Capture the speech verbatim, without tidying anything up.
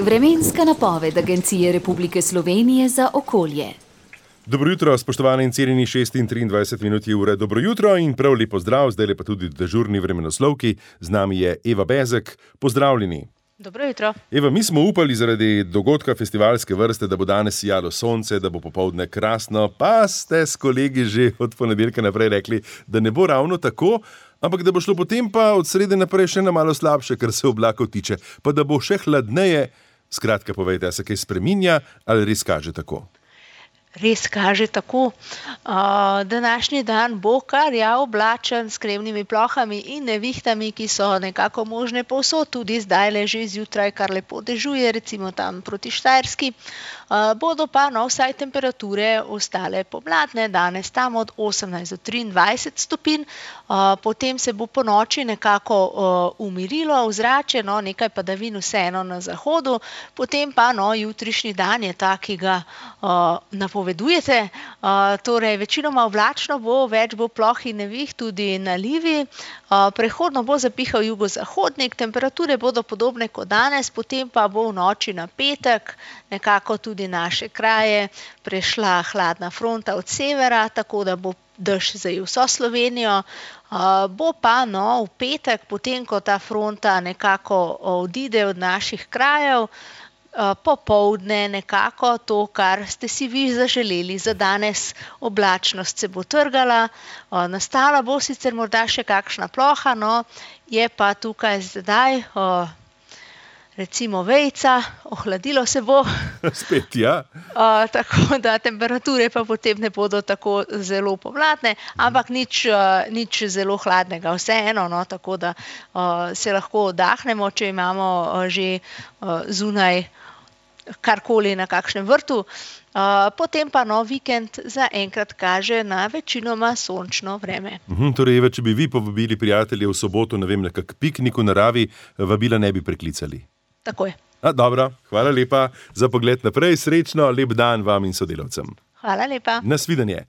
Vremenska napoved Agencije Republike Slovenije za okolje. Dobro jutro, spoštovani in cenjeni, šest in triindvajset minut je ure. Dobro jutro in prav lep pozdrav, zdaj pa tudi dežurni vremenoslovki. Z nami je Eva Bezek. Pozdravljeni. Dobro jutro. Eva, mi smo upali zaradi dogodka festivalske vrste, da bo danes sijalo sonce, da bo popoldne krasno, pa ste s kolegi že od ponedeljka naprej rekli, da ne bo ravno tako, ampak da bo šlo potem pa od srede naprej še na malo slabše, kar se oblakov tiče, pa da bo še hladneje. Skratka, povejte, se kaj spreminja ali res kaže tako? Res kaže tako. Uh, današnji dan bo kar ja oblačen s kremnimi plohami in nevihtami, ki so nekako možne povsod, tudi zdaj le že zjutraj, kar lepo dežuje, recimo tam proti Štajerski. Uh, bodo pa no vsaj temperature ostale pomladne, danes tam od osemnajst do triindvajset stopinj, uh, potem se bo po noči nekako uh, umirilo ozračje, no nekaj padavin vseeno na zahodu, potem pa no jutrišnji dan je ta, ki ga uh, napovedujete, uh, torej večinoma oblačno bo, več bo ploh in neviht, tudi nalivi, uh, prehodno bo zapihal jugozahodnik, temperature bodo podobne kot danes, potem pa bo v noči na petek nekako tudi naše kraje prešla hladna fronta od severa, tako da bo dež zajel vso Slovenijo. Uh, bo pa no v petek, potem ko ta fronta nekako odide od naših krajev, uh, popoldne nekako to, kar ste si vi zaželeli za danes, oblačnost se bo trgala, uh, nastala bo sicer morda še kakšna ploha, no je pa tukaj zdaj uh, recimo vejca, ohladilo se bo. Spet, ja. Uh, tako da temperature pa potem ne bodo tako zelo pomladne, ampak nič, uh, nič zelo hladnega, vseeno, no, tako da uh, se lahko oddahnemo, če imamo uh, že uh, zunaj karkoli na kakšnem vrtu. Uh, potem pa no vikend zaenkrat kaže na večinoma sončno vreme. Uhum, torej, Eva, če bi vi povabili prijatelje v soboto, ne vem, na kak piknik v naravi, vabila ne bi preklicali. Tako je. A, dobro, hvala lepa za pogled naprej, srečno, lep dan vam in sodelavcem. Hvala lepa. Nasvidenje.